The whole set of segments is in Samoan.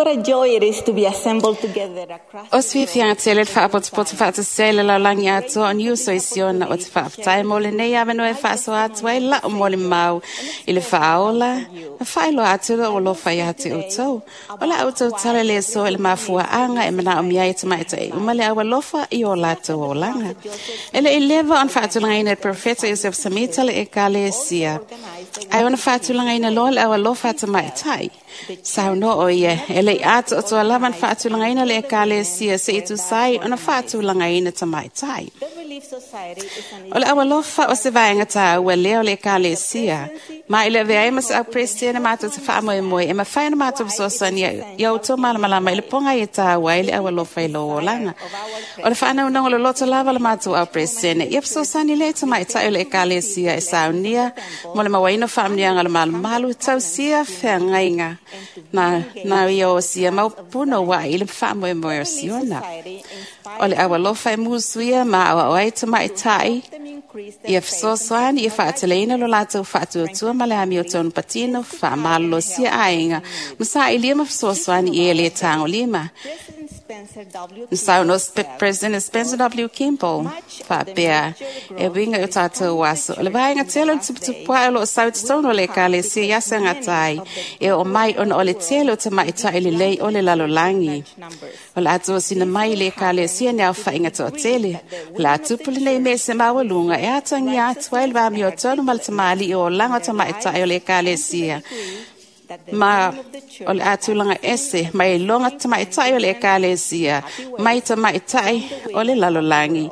What a joy it is to be assembled together across O se fiafiaga tele le faapotopoto faatasia i le lalolagi atoa o niuso i Siona o te faafetai mo lenei avanoa e faasoa atu ai la'u molimau i le faaola ma faailoa atu lou alofa iā te outou. O le a outou tala le aso i le mafuaaga e manaomia ai e tamaitai uma le aualofa i o latou olaga. E le i leva ona faatulagaina e le Perofeta Iosefo Samita le Ekalesia, ae ona faatulagaina loa le aualofa a tamaitai. Saunoa o ia, e le i atoatoa lava ona faatulagaina le Ekalesia se'i tusa ai ona faatulagaina tamaitai. The Relief Society is an O le aualofa o se vaega tāua lea o le Ekalesia, ma i le avea ai ma se au Peresetene matou te faamoemoe e mafai ona matou fesoasoani ia outou malamalama i le poga e tāua ai le aualofa i lou olaga. O le faanaunaua loloto lava o le matou au Peresetene, ia fesoasoani lea i tamaitai o le Ekalesia e saunia mo le mauaina o faamanuiaga o le malumalu, tausia feagaiga na, na ia o sia mau punouai i le faamoemoe o Siona. O le aualofa e musuia ma aoao ai tamaitai them increase their ia fesoasoani ia faateleina lo latou faatuatua ma le amiotonu patino faamalolosia aiga ma saʻilia ma fesoasoani i e lē tagolima. President Spencer W. Na saunoa President Spencer W. Kimball faapea e uiga i o tatou aso. O le vaega tele o le tuputupuaʻe o loo sau i totonu o le Ekalesia i aso e gata ai e oo mai ona o le tele o tamaitai lelei o le lalolagi. Numbers. O le a tosina mai i le Ekalesia ni aofaiga toatele. O le a tupu lenei mea i se maualuga e atagia atu ai le vamiotonu ma le tamalii o olaga o tamaitai o le Ekalesia. That the Ma name of the church o le a tulaga ese mai iloga tamaitai o le Ekalesia, mai tamaitai o le lalolagi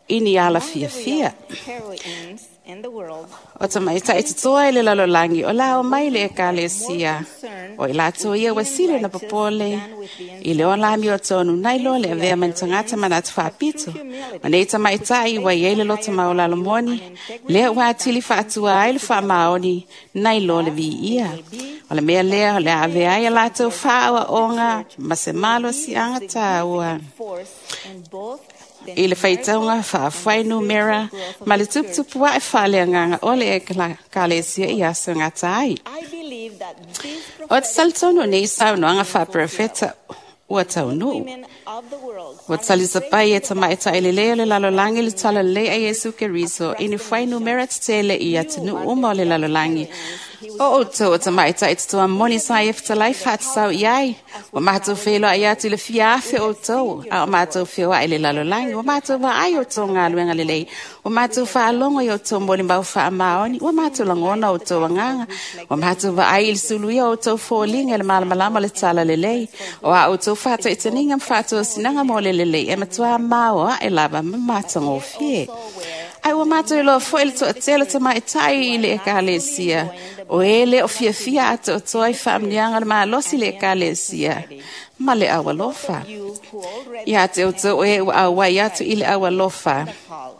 i ni ala fiafia. Heroines in the world O tamaitai totoa i le lalolagi o la o mai le Ekalesia. O i latou ia ua sili ona popole i le ola amiotonu nai loa le avea mai ni tagata manatu faapito. Ma nei tamaitai ua i ai le loto maualalo moni, lea ua atili faatua ai le faamaoni nai loa le viia. O le mea lea o le a avea ai a latou faaoaoga ma se malosiaga tāua force in both the i le faitauga faafuainumera ma le tuputupuaʻe faaleagaga o le Ekalesia i aso gata ai. I believe that this O te talitonu nei saunoaga faaperofeta ua taunuu. women of the world Ua talisapai e tamaitai lelei o le lalolagi le talalelei a Iesu Keriso i ni fuainumera tetele i atunuu uma o le lalolagi. O outou o tamaitai totoa moni sa ia fetalai faatatau i ai. Ua matou feiloai atu i le fia afe outou, a o matou feoai i le lalolagi. Ua matou vaai outou galuega lelei. Ua matou faalogo i outou molimau faamaoni. Ua matou lagona outou agaga. Ua matou vaai i le suluia o outou foliga i le malamalama o le talalelei. O a outou faataitaniga ma faatosinaga mo le lelei e matuā maoaʻe lava ma matagofie. Ai ua matou iloa foi le toatele o tamaitai i le Ekalesia. O e lē o fiafia atoatoa i faamanuiaga o le malosi i le Ekalesia ma le aualofa. You who already Ia te outou e ua auai atu i le aualofa. call.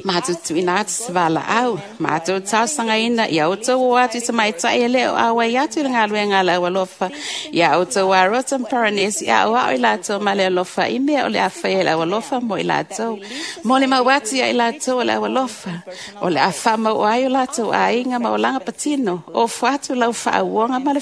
Matou tuuina atu se valaau, matou talosagaina ia outou o atu i tamaitai e lē o auai atu i le galuega a le aualofa, ia outou arota ma paranesi aoao i latou ma le alofa i mea o le a faia i le aualofa mo i latou. Mo le mau atu ia i latou o le aualofa, o le a faamauo ai o latou aiga ma olaga patino, ofo atu lau faauoga ma le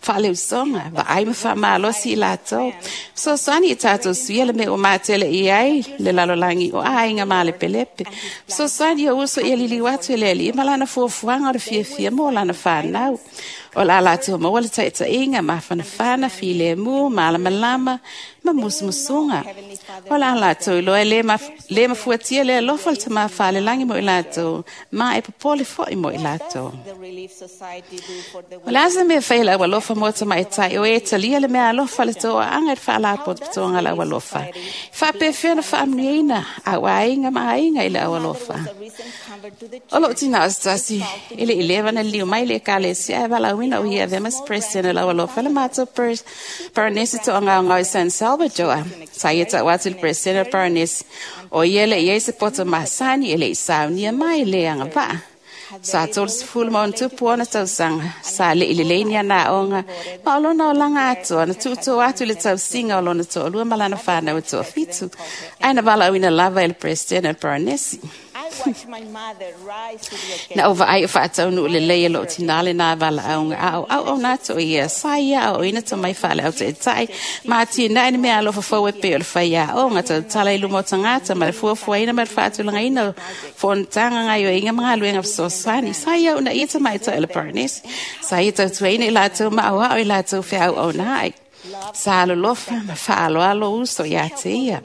faaleusoga, vaai ma faamalosi i latou. Fesoasoani i tatou suia le mea ua matele i ai le lalolagi o aiga malepelepe. Fesoasoani o uso ia liliu atu i le Alii ma lana fuafuaga o le fiafia mo lana fanau. O le a latou maua le taitaiga, mafanafana, filemu, malamalama ma musumusuga. O le a latou iloa e lē mafuatia le alofa o le Tamā Falelagi mo i latou, ma e popole foi mo i latou. The Relief Society do for the O le a se mea fai le aualofa mo tamaitai o e talia le mea alofa le toaaga i le faalapotopotoga o le aualofa. Faapefea ona faamanuiaina au aiga ma aiga i le aualofa. A recent convert to the O loo tina o se tasi e le i leva na liliu mai le Ekalesia ae valaauina o ia avea ma se President o le aualofa le matou Paranesi toagaogao i San Salvador. Sa ia tau atu i le President o Paranesi o ia le i ai se poto masani e le i saunia mai le agavaa. Sa 30 ma ona tupu ona tausaga, sa leʻi lelei ni ana aoga, ma o lona olaga atoa na tuutuu atu i le tausiga o lona toalua ma lana fanau e toafitu, ae na valaauina lava e le President o le Paranesi. Na ou vaai o faataunuu lelei e loo tinā lenā valaauga a o auauna atu o ia sa ia aoaoina tomai faaleau taʻitaʻi ma atinae ni mea alofa fou e pei o le faiaoga tautala i luma o tagata ma le fuafuaina ma le faatulagaina o fonotaga gaoioiga ma galuega fesoasoani. Sa ia uunaia tamaitai o le Paranesi. Sa ia tautuaina i latou ma aoao i latou feauauna ai. Sa alolofa ma faaaloalo uso ia te ia.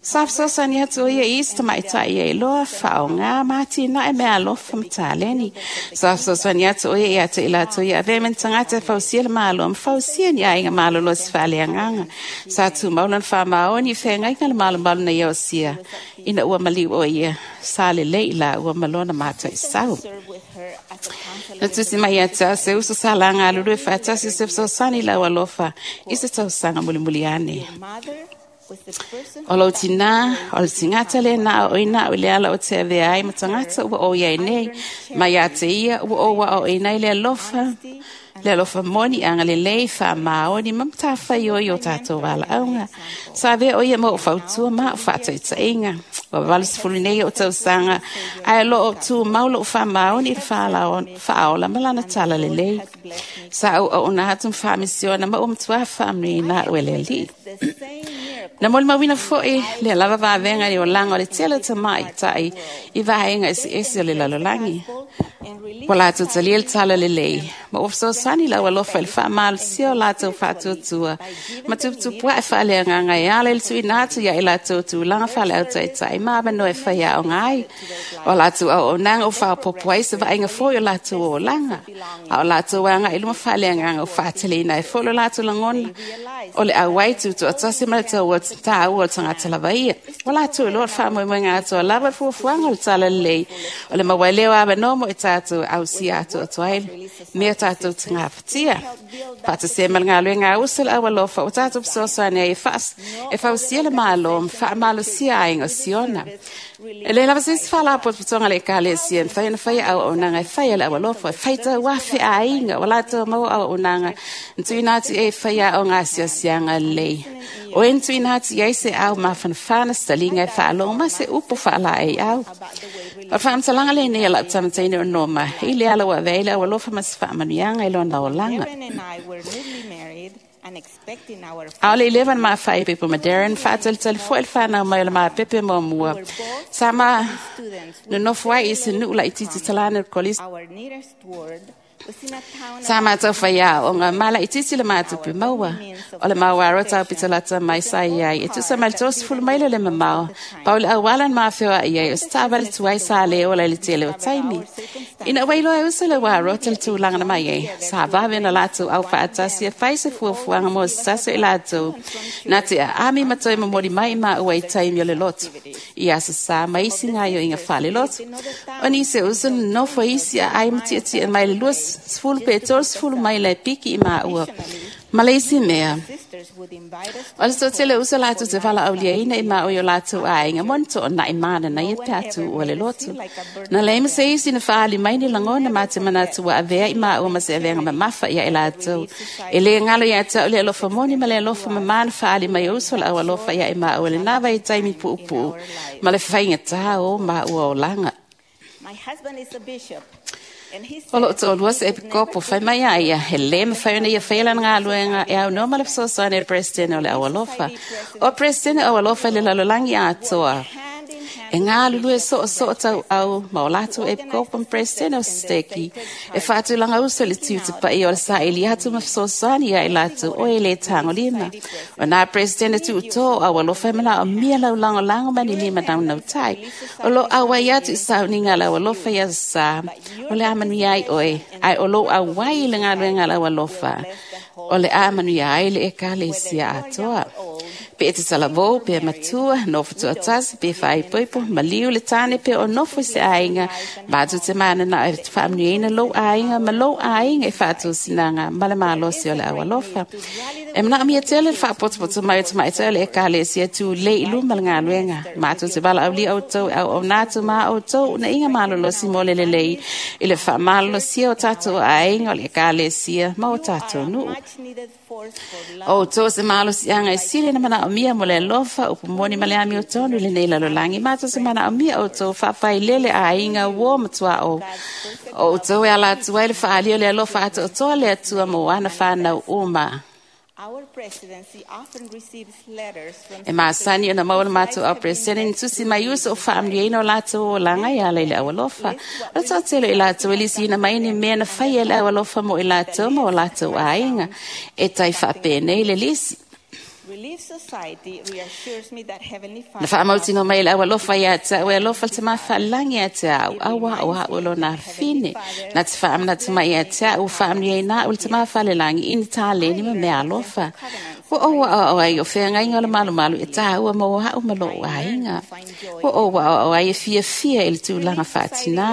Sa fesoasoani atu o ia i isi tamaitai ia iloa faaaogā ma atinae mea alofa ma taleni. Sa fesoasoani atu o ia ia te i latou ia avea ma ni tagata e fausia le Malo ma fausia ni aiga malolosi faaleagaga. Sa tumau lona faamaoni i feagaiga le malomalu na ia osia ina ua maliu o ia sa lelei i laua ma lona mataisau. Na tusi mai ia te au se uso sa laga alulue faatasi o se fesoasoani i lau alofa i se tausaga mulimuli ane. O lou tinā, o le tigata lenā o oina au i le ala o te avea ai ma tagata ua ou iai nei, ma ia te ia ua ou aoaoina ai le alofa, le alofa moni agalelei faamaoni ma matafaioi o tatou valaauga. Sa avea o ia ma ou fautua ma au faataitaiga. Ua 80 nei ou tausaga, ae o loo tumau lou faamaoni i le faaola ma lana tala lelei. Sa ou auauna atu ma faamisiona ma ua matua faamanuiaina au e le Alii. Na molimauina foi lea lava vavega i le olaga o le tele o tamaitai i vaega eseese o le lalolagi. Ua latou talia le tala lelei, ma ua fesoasoani lau alofa i le faamalosia o latou faatuatua ma tuputupuaʻe faaleagaga e ala i le tuuina atu ia i latou tulaga faaleautaitai ma avanoa e faiaoga ai. O latou auaunaga ua faaopoopo ai se vaaiga foi o latou olaga, a o latou agai i luma faaleagaga ua faateleina ai foi lo latou lagona o le auai tutoatasi ma le taua o le tagata lava ia. Ua latou iloa le faamoemoega atoa lava le fuafuaga o le tala lelei o le maua ai lea o avanoa mo i tatou e ausia atoatoa ai mea tatou te gafatia. Faatasia ma le galuega a uso le aualofa ua tatou fesoasoani ai e fausia le Malo ma faamalosia aiga o Siona. E le lava se isi faalapotopotoga a le Ekalesia e mafai ona faia auaunaga e fai e le aualofa, e faitau afe aiga ua latou maua auaunaga na tuuina atu i ai e faiaoga asiasiaga lelei. O e na tuuina atu i ai se au mafanafana se taliga e faalogo ma se upu faalaeiau. O le faamatalaga lenei a lau tamataine o Noma i le ala ua avea ai le aualofa ma se faamanuiaga i lona olaga. A o le i leva na mafaaipoipo ma Darren, faatalitali foi le fanau mai o le mapepe muamua. Sa ma nonofo ai i se nuu laitiiti talana o le kolisi. Sa matou faiaoga ma laitiiti le matupe maua. O le mauaro taupito lata mai sa iai e tusa mai le 30 maila le mamao. Pau le auala na mafeoai ai o se taavale tuai sa le ola i le tele o taimi. Ina ua iloa e uso le uarota le tulaga na mai ai, sa vave ona latou aufaatasi e fai se fuafuaga mo se tasi o i latou na te aami ma toe momoli mai i maua i taimi o le lotu, i aso sa ma isi gaoioiga faalelotu. O nisi o uso nonofo i isi aai ma tietie mai le 20 pe 30 maila e piki i maua. Ma le isi mea, o le toatele o uso latou te valaauliaina i maua i o latou aiga mo ni toonai mananaia pe a tuua le lotu. Na leai ma se isi na faaali mai ni lagona ma te manatu ua avea i maua ma se aveaga mamafa ia i latou. E le galo ia te au le alofa moni ma le alofa mamā na faaali mai o uso le aualofa ia i maua i lenā vaitaimi puupuu ma le faigatā o maua olaga. O loo toalua se epikopo fai mai a ia, he le mafai ona ia faia lana galuega e aunoa ma le fesoasoani a le Peresetene o le Aualofa. O Peresetene o Aualofa i le lalolagi atoa e galulue soosoo tauau ma o latou epikopo ma Peresetene o Seteki e faatulaga uso i le tiute paia o le saili atu ma fesoasoani ia i latou o e le tagolima. O nā Peresetene tuutō o Aualofa e manaomia lau lagolago ma ni lima naunautai. O loo auai atu i sauniga a le Aualofa i aso sa, o le a manuia ai oe, ae o lou auai i le galuega a le Aualofa, o le a manuia ai le Ekalesia atoa. Pe e te talavou, pe matua, nofo tuatasi, pe faaipoipo, maliu le tane pe o nofo i se aiga, matou te mananao e faamanuiaina lou aiga ma lou aiga i faatosinaga ma le malosi o le aualofa. E manaomia tele le faapotopoto mai o tamaitai o le Ekalesia tulei i luma le galuega. Matou te valaaulia outou e auauna atu ma outou unaiga malolosi mo le lelei i le faamalolosia o tatou aiga o le Ekalesia ma o tatou nuu. O outou se malosiaga e sili ona manaomia. manaomia mo le alofa, upu moni ma le amiotonu i lenei lalolagi. Matou te manaomia outou faafailele aiga, uō ma tuaʻo o outou e ala atu ai le faaalia o le alofa atoatoa le Atua mo ana fanau uma. E masani ona maua le matou au peresetene ni tusi mai uso o faamanuiaina o latou olaga e ala i le aualofa. O le toatele o i latou e lisiina mai ni mea na faia e le aualofa mo i latou ma o latou aiga. E tai faapenei le lisi. Na faamautinoa mai e le aualofa ia te au e alofa le Tamā Faalelagi ia te au, auā o a'u o lona afine. Na te faamanatu mai ia te au ua faamanuiaina a'u e le Tamā Faalelagi i ni taleni ma mea alofa. Ua ou aʻoaʻo ai o feagaiga o le malumalu e tāua mo a'u ma lo'u aiga. Ua ou aʻoaʻo ai e fiafia i le tulaga faatinā.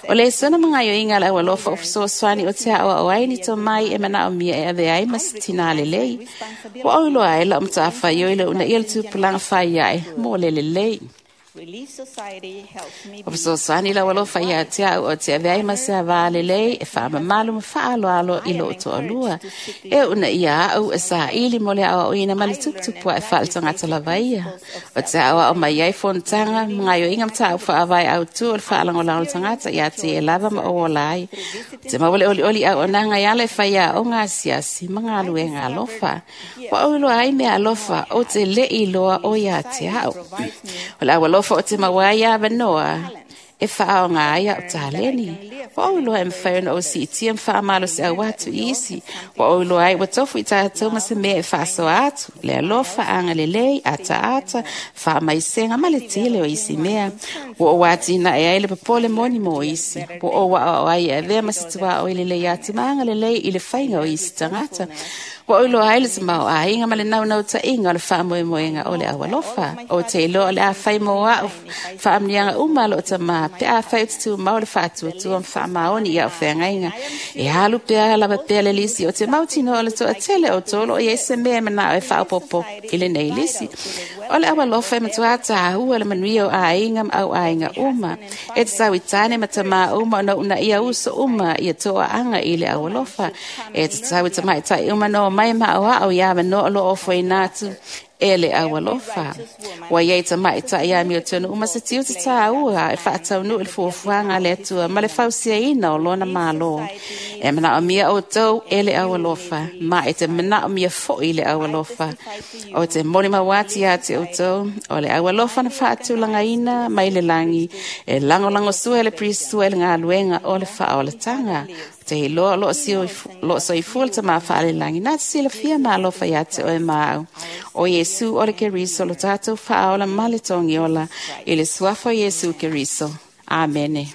O le lesona ma gaoioiga a le aualofa o fesoasoani o te aʻoaʻo ai ni tomai e manaomia e avea ai ma se tinā lelei. Ua ou iloa ai lau matafaioi le uunaia o le tupulaga fai aʻe mo le lelei. O fesoasoani lau alofa ia te au o te avea ai ma se avā lelei e faamamalu ma faaaloalo i lou toalua. E uunaia a'u e saili mo le aoaoina ma le tuputupuaʻe faaletagata lava ia. O te aoao mai ai fonotaga ma gaoioiga mataupu faavae autū o le faalagolago o le tagata ia te e lava ma ou ola ai. O te maua le olioli auaunaga e ala i faiaoga asiasi ma galuega alofa. Ua ou iloa ai mea alofa ou te leʻi iloa o ia te au. O le aualofa o te maua ai avanoa e faaaoga ai a'u taleni. Ua ou iloa e mafai ona ou siitia ma faamalosiau atu i isi. Ua ou iloa ai ua tofu i tatou ma se mea e faasoa atu, le alofa, agalelei, ataata, faamaisega ma le tele o isi mea. Ua ou atinae ai le popole moni mo isi. Ua ou aʻoaʻo ai e avea ma se tuaoi lelei atu ma agalelei i le faiga o isi tagata. Ua ou iloa ai le tamaoaiga ma le naunautaiga o le faamoemoega o le aualofa. Ou te iloa o le a fai mo a'u faamanuiaga uma a loo Tamā pe afai ou te tumau le faatuatua ma faamaoni i a'u feagaiga. E alu pea lava pea le lisi o te mautinoa o le toatele o outou o loo i ai se mea e manao e faaopoopo i lenei lisi. O le aualofa e matuā tāua le manuia o aiga ma auaiga uma. E tatau i tāne ma tamā uma ona uunaia uso uma ia toaaga i le aualofa. E tatau i tamaitai uma ona omai ma aʻoaʻo i avanoa o loo ofoina atu e le aualofa. Ua iai tamaitai amiotonu uma se tiute tāua e faataunuu i le fuafuaga a le Atua ma le fausiaina o lona Malo. E manaomia outou e le aualofa, ma e te manaomia foʻi le aualofa. O te molimau atu ia te outou, o le aualofa na faatulagaina mai le lagi, e lagolagosua e le Pirisua i le galuega o le faaolataga. Te iloa o loo soifua le Tamā Faalelagi, na te silafia ma alofa ia te oe ma au. O Iesu o le Keriso lo tatou faaola ma le togiola, i le suafa o Iesu Keriso. Amene.